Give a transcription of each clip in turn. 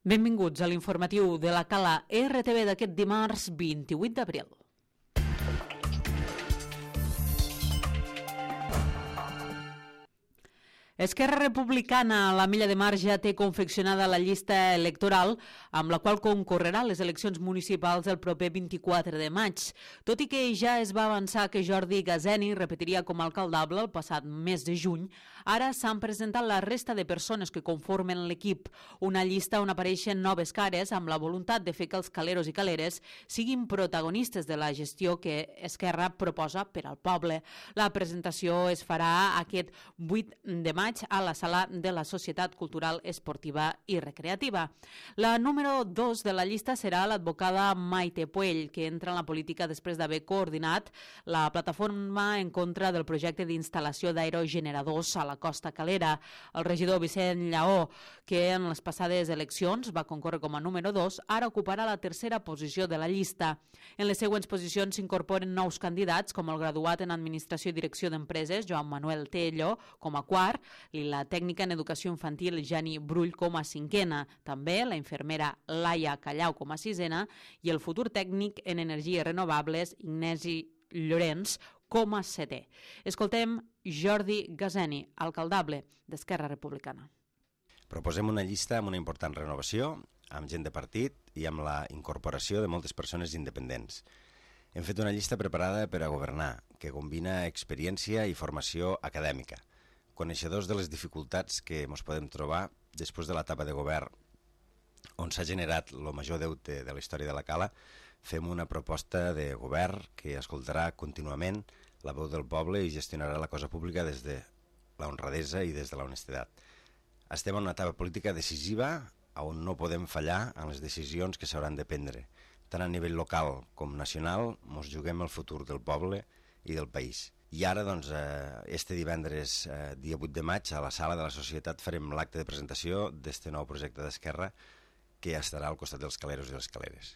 Benvinguts a l'informatiu de la Cala RTV d'aquest dimarts 28 d'abril. Esquerra Republicana, a la Milla de Mar, ja té confeccionada la llista electoral amb la qual concorrerà a les eleccions municipals el proper 24 de maig. Tot i que ja es va avançar que Jordi Gazeni repetiria com a alcaldable el passat mes de juny, ara s'han presentat la resta de persones que conformen l'equip, una llista on apareixen noves cares amb la voluntat de fer que els caleros i caleres siguin protagonistes de la gestió que Esquerra proposa per al poble. La presentació es farà aquest 8 de maig a la sala de la Societat Cultural Esportiva i Recreativa. La número 2 de la llista serà l'advocada Maite Puell, que entra en la política després d'haver coordinat la plataforma en contra del projecte d'instal·lació d'aerogeneradors a la Costa Calera. El regidor Vicent Lleó, que en les passades eleccions va concórrer com a número 2, ara ocuparà la tercera posició de la llista. En les següents posicions s'incorporen nous candidats, com el graduat en Administració i Direcció d'Empreses, Joan Manuel Tello, com a quart, i la tècnica en educació infantil Jani Brull com a cinquena, també la infermera Laia Callau com a sisena i el futur tècnic en energies renovables Ignasi Llorenç com a setè. Escoltem Jordi Gazeni, alcaldable d'Esquerra Republicana. Proposem una llista amb una important renovació, amb gent de partit i amb la incorporació de moltes persones independents. Hem fet una llista preparada per a governar, que combina experiència i formació acadèmica. Coneixedors de les dificultats que ens podem trobar després de l'etapa de govern on s'ha generat el major deute de la història de la Cala, fem una proposta de govern que escoltarà contínuament la veu del poble i gestionarà la cosa pública des de la honradesa i des de la honestedat. Estem en una etapa política decisiva on no podem fallar en les decisions que s'hauran de prendre. Tant a nivell local com nacional ens juguem el futur del poble i del país. I ara, doncs, este divendres, dia 8 de maig, a la sala de la Societat farem l'acte de presentació d'este nou projecte d'Esquerra que estarà al costat dels caleros i les caleres.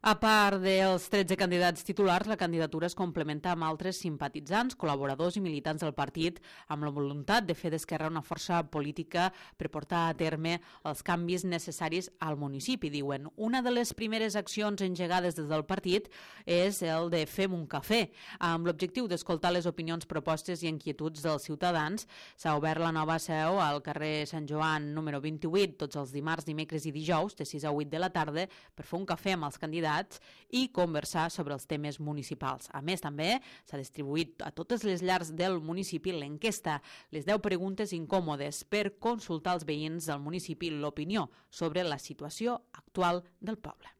A part dels 13 candidats titulars, la candidatura es complementa amb altres simpatitzants, col·laboradors i militants del partit, amb la voluntat de fer d'Esquerra una força política per portar a terme els canvis necessaris al municipi, diuen. Una de les primeres accions engegades des del partit és el de Fem un cafè. Amb l'objectiu d'escoltar les opinions, propostes i inquietuds dels ciutadans, s'ha obert la nova seu al carrer Sant Joan número 28 tots els dimarts, dimecres i dijous, de 6 a 8 de la tarda, per fer un cafè amb els candidats i conversar sobre els temes municipals. A més, també s'ha distribuït a totes les llars del municipi l'enquesta, les 10 preguntes incòmodes per consultar als veïns del municipi l'opinió sobre la situació actual del poble.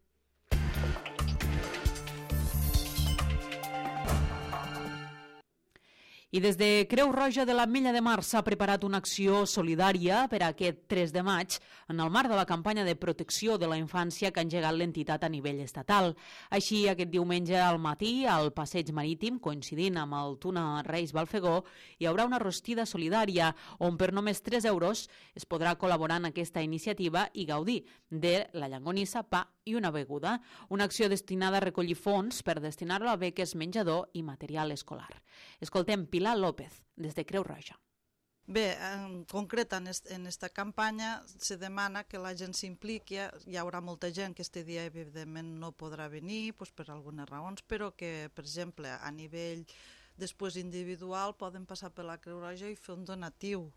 I des de Creu Roja de la Milla de Mar s'ha preparat una acció solidària per a aquest 3 de maig en el marc de la campanya de protecció de la infància que ha engegat l'entitat a nivell estatal. Així, aquest diumenge al matí, al Passeig Marítim, coincidint amb el túnel Reis Balfegó, hi haurà una rostida solidària on per només 3 euros es podrà col·laborar en aquesta iniciativa i gaudir de la llonganissa, pa i una beguda. Una acció destinada a recollir fons per destinar-lo a beques, menjador i material escolar. Escoltem Pilar López, des de Creu Roja. Bé, en concret en esta campanya se demana que la gent s'impliqui. Hi haurà molta gent que este dia evidentment no podrà venir per algunes raons, però que, per exemple, a nivell després individual poden passar per la Creu Roja i fer un donatiu.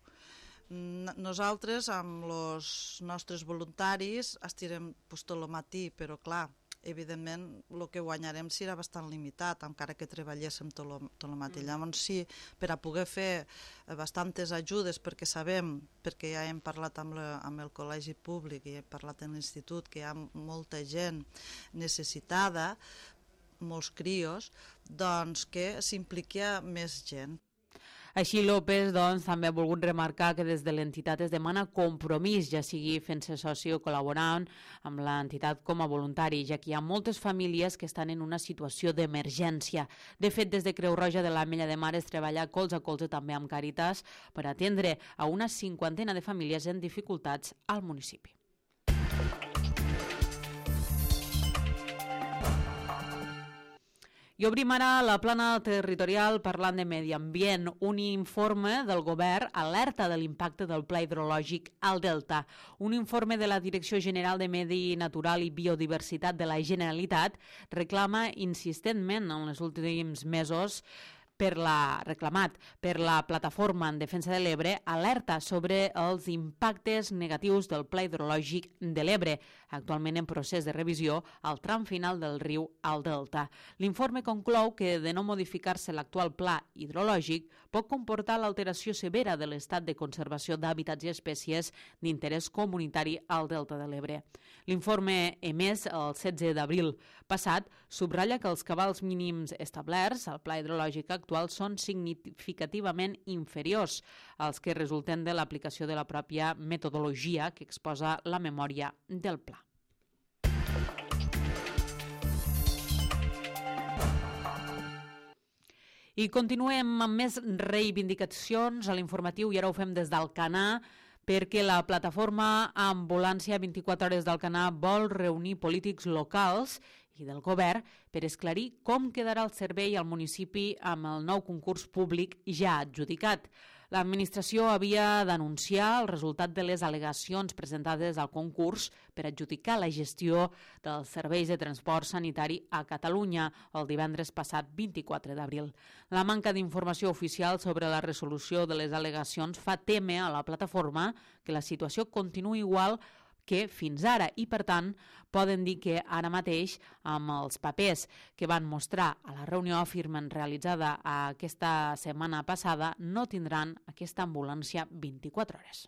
Nosaltres, amb els nostres voluntaris, estirem tot el matí, però clar, evidentment el que guanyarem serà bastant limitat, encara que treballéssim tot el matí. Llavors sí, per a poder fer bastantes ajudes, perquè sabem, perquè ja hem parlat amb el col·legi públic i hem parlat amb l'institut, que hi ha molta gent necessitada, molts crios, doncs que s'impliqui més gent. Així, López també ha volgut remarcar que des de l'entitat es demana compromís, ja sigui fent-se soci o col·laborant amb l'entitat com a voluntari, ja que hi ha moltes famílies que estan en una situació d'emergència. De fet, des de Creu Roja de la Milla de Mar es treballa colze a colze també amb Càritas per atendre a una 50 de famílies en dificultats al municipi. I obrim ara la plana territorial parlant de medi ambient. Un informe del govern alerta de l'impacte del pla hidrològic al Delta. Un informe de la Direcció General de Medi Natural i Biodiversitat de la Generalitat reclama insistentment en els últims mesos reclamat per la Plataforma en Defensa de l'Ebre, alerta sobre els impactes negatius del Pla Hidrològic de l'Ebre, actualment en procés de revisió al tram final del riu al Delta. L'informe conclou que, de no modificar-se l'actual pla hidrològic, pot comportar l'alteració severa de l'estat de conservació d'hàbitats i espècies d'interès comunitari al Delta de l'Ebre. L'informe emès el 16 d'abril passat subratlla que els cabals mínims establerts al pla hidrològic actual són significativament inferiors als que resulten de l'aplicació de la pròpia metodologia que exposa la memòria del pla. I continuem amb més reivindicacions a l'informatiu i ara ho fem des d'Alcanar, perquè la plataforma Ambulància 24 hores d'Alcanar vol reunir polítics locals i del govern per esclarir com quedarà el servei al municipi amb el nou concurs públic ja adjudicat. L'administració havia d'anunciar el resultat de les al·legacions presentades al concurs per adjudicar la gestió dels serveis de transport sanitari a Catalunya el divendres passat 24 d'abril. La manca d'informació oficial sobre la resolució de les al·legacions fa témer a la plataforma que la situació continuï igual que fins ara i, per tant, poden dir que ara mateix, amb els papers que van mostrar a la reunió afirmen realitzada aquesta setmana passada, no tindran aquesta ambulància 24 hores.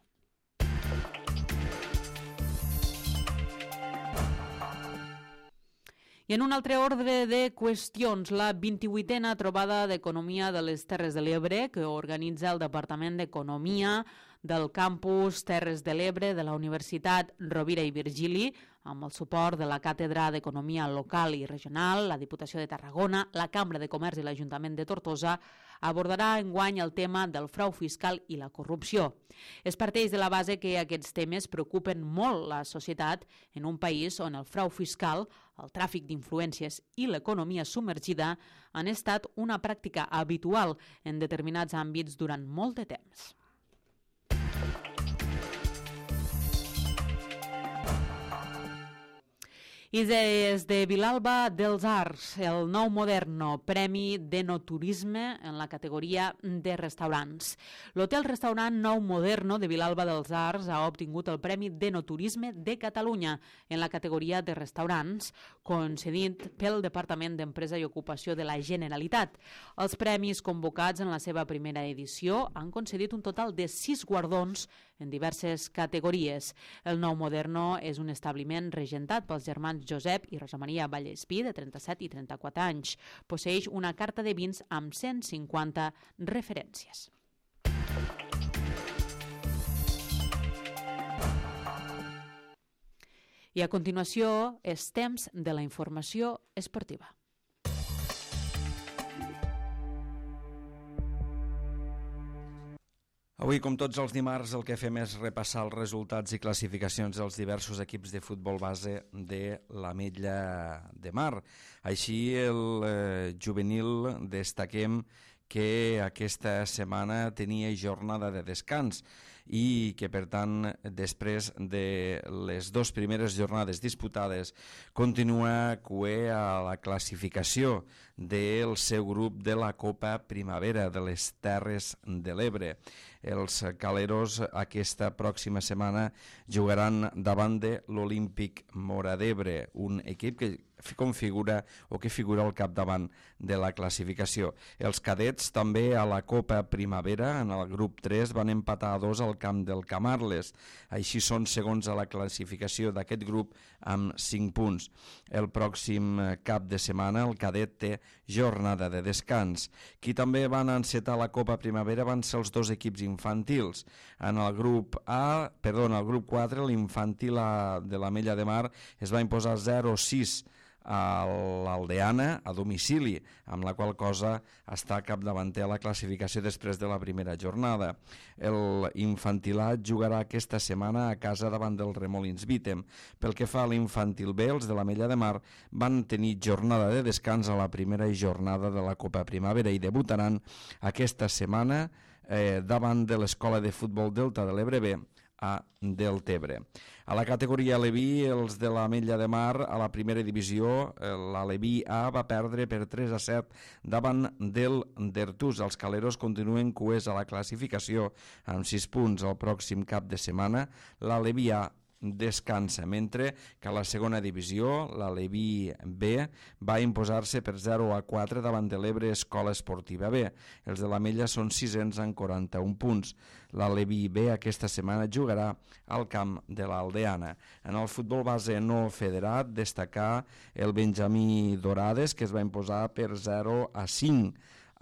I en un altre ordre de qüestions, la 28a trobada d'Economia de les Terres de l'Ebre, que organitza el Departament d'Economia del campus Terres de l'Ebre de la Universitat Rovira i Virgili, amb el suport de la Càtedra d'Economia Local i Regional, la Diputació de Tarragona, la Cambra de Comerç i l'Ajuntament de Tortosa, abordarà enguany el tema del frau fiscal i la corrupció. Es parteix de la base que aquests temes preocupen molt la societat en un país on el frau fiscal, el tràfic d'influències i l'economia submergida han estat una pràctica habitual en determinats àmbits durant molt de temps. I des de Vilalba dels Arcs, el Nou Moderno, Premi d'Enoturisme en la categoria de restaurants. L'hotel-restaurant Nou Moderno de Vilalba dels Arcs ha obtingut el Premi d'Enoturisme de Catalunya en la categoria de restaurants, concedit pel Departament d'Empresa i Ocupació de la Generalitat. Els premis convocats en la seva primera edició han concedit un total de 6 guardons en diverses categories. El Nou Moderno és un establiment regentat pels germans Josep i Rosa Maria Vallespí, de 37 i 34 anys. Posseeix una carta de vins amb 150 referències. I a continuació és temps de la informació esportiva. Avui, com tots els dimarts, el que fem és repassar els resultats i classificacions dels diversos equips de futbol base de l'Ametlla de Mar. Així, el juvenil destaquem que aquesta setmana tenia jornada de descans i que, per tant, després de les 2 primeres jornades disputades, continua cuer a la classificació del seu grup de la Copa Primavera de les Terres de l'Ebre. Els caleros aquesta pròxima setmana jugaran davant de l'Olímpic Móra d'Ebre, un equip que configura o que figura al capdavant de la classificació. Els cadets també a la Copa Primavera, en el grup 3, van empatar a 2 al camp del Camarles. Així són segons a la classificació d'aquest grup amb 5 punts. El pròxim cap de setmana el cadet té jornada de descans. Qui també van encetar la Copa Primavera van ser els 2 equips infantils. En el grup 4, l'infantil de l'Ametlla de Mar es va imposar 0-6 a l'Aldeana a domicili, amb la qual cosa està capdavanter a la classificació després de la primera jornada. El infantilat jugarà aquesta setmana a casa davant del Remolins Vítem. Pel que fa a l'infantil B, els de l'Ametlla de Mar van tenir jornada de descans a la primera jornada de la Copa Primavera i debutaran aquesta setmana davant de l'Escola de Futbol Delta de l'Ebre B a Deltebre. A la categoria Aleví, els de l'Ametlla de Mar, a la primera divisió, l'Aleví A va perdre per 3-7 davant del d'Ertús. Els caleros continuen cuers a la classificació amb 6 punts. El pròxim cap de setmana, l'Aleví A descansa, mentre que a la segona divisió l'Aleví B va imposar-se per 0-4 davant de l'Ebre Escola Esportiva B. Els de l'Ametlla són 600 amb 41 punts. L'Aleví B aquesta setmana jugarà al camp de l'Aldeana. En el futbol base no federat, destacar el Benjamí Dorades, que es va imposar per 0-5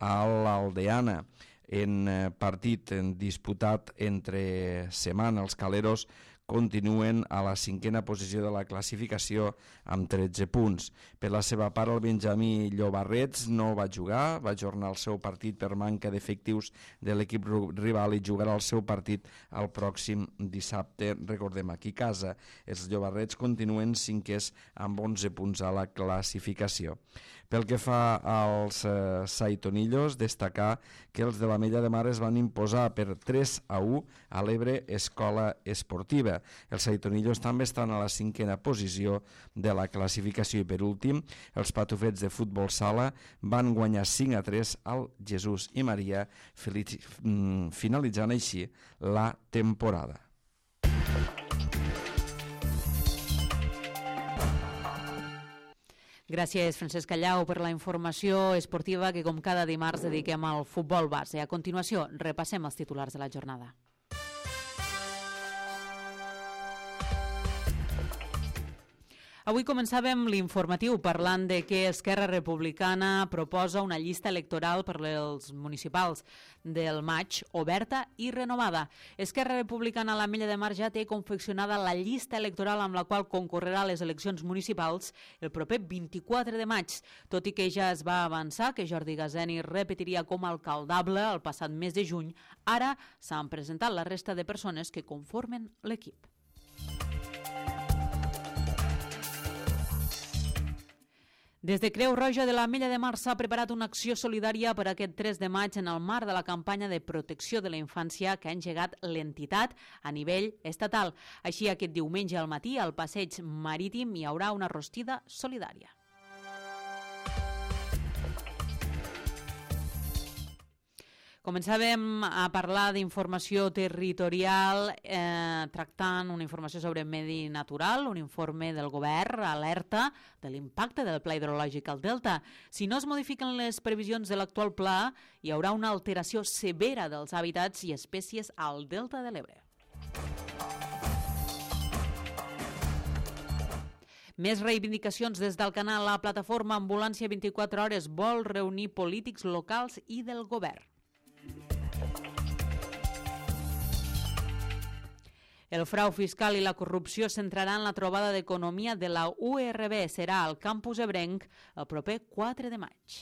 a l'Aldeana. En partit disputat entre setmana, els caleros continuen a la 5a posició de la classificació amb 13 punts. Per la seva part, el Benjamí Llobarrets no va jugar, va ajornar el seu partit per manca d'efectius de l'equip rival i jugarà el seu partit el pròxim dissabte, recordem, aquí a casa. Els Llobarrets continuen 5è amb 11 punts a la classificació. Pel que fa als Saitonillos, destacar que els de l'Ametlla de Mar es van imposar per 3-1 a l'Ebre Escola Esportiva. Els Saitonillos també estan a la 5a posició de la classificació i per últim, els Patufets de futbol sala van guanyar 5-3 al Jesús i Maria, finalitzant així la temporada. Gràcies, Francesc Callau, per la informació esportiva que, com cada dimarts, dediquem al futbol base. A continuació, repassem els titulars de la jornada. Avui començàvem l'informatiu parlant de que Esquerra Republicana proposa una llista electoral per als municipals del maig oberta i renovada. Esquerra Republicana a l'Ametlla de Mar ja té confeccionada la llista electoral amb la qual concorrerà a les eleccions municipals el proper 24 de maig, tot i que ja es va avançar que Jordi Gazeni repetiria com a alcaldable el passat mes de juny. Ara s'han presentat la resta de persones que conformen l'equip. Des de Creu Roja de l'Ametlla de Mar s'ha preparat una acció solidària per aquest 3 de maig en el marc de la campanya de protecció de la infància que ha engegat l'entitat a nivell estatal. Així, aquest diumenge al matí, al passeig marítim, hi haurà una rostida solidària. Començàvem a parlar d'informació territorial tractant una informació sobre medi natural, un informe del govern alerta de l'impacte del pla hidrològic al Delta. Si no es modifiquen les previsions de l'actual pla, hi haurà una alteració severa dels hàbitats i espècies al Delta de l'Ebre. Més reivindicacions des del canal. La plataforma Ambulància 24 hores vol reunir polítics locals i del govern. El frau fiscal i la corrupció centraran la trobada d'economia de la URB. Serà al campus ebrenc el proper 4 de maig.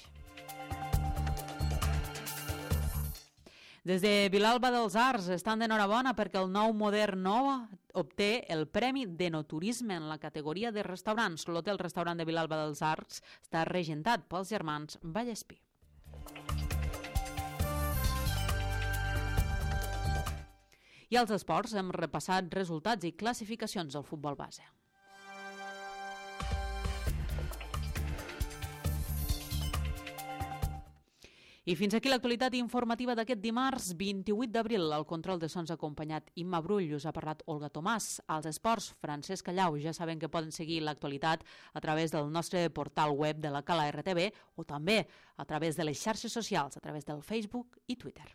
Des de Vilalba dels Arcs estan d'enhorabona perquè el nou Modern Nova obté el Premi d'Enoturisme en la categoria de restaurants. L'hotel-restaurant de Vilalba dels Arcs està regentat pels germans Vallespí. I als esports hem repassat resultats i classificacions del futbol base. I fins aquí l'actualitat informativa d'aquest dimarts 28 d'abril. Al control de sons acompanyat Imma Brull, us ha parlat Olga Tomàs. Als esports, Francesc Callau. Ja saben que poden seguir l'actualitat a través del nostre portal web de la Cala RTV o també a través de les xarxes socials, a través del Facebook i Twitter.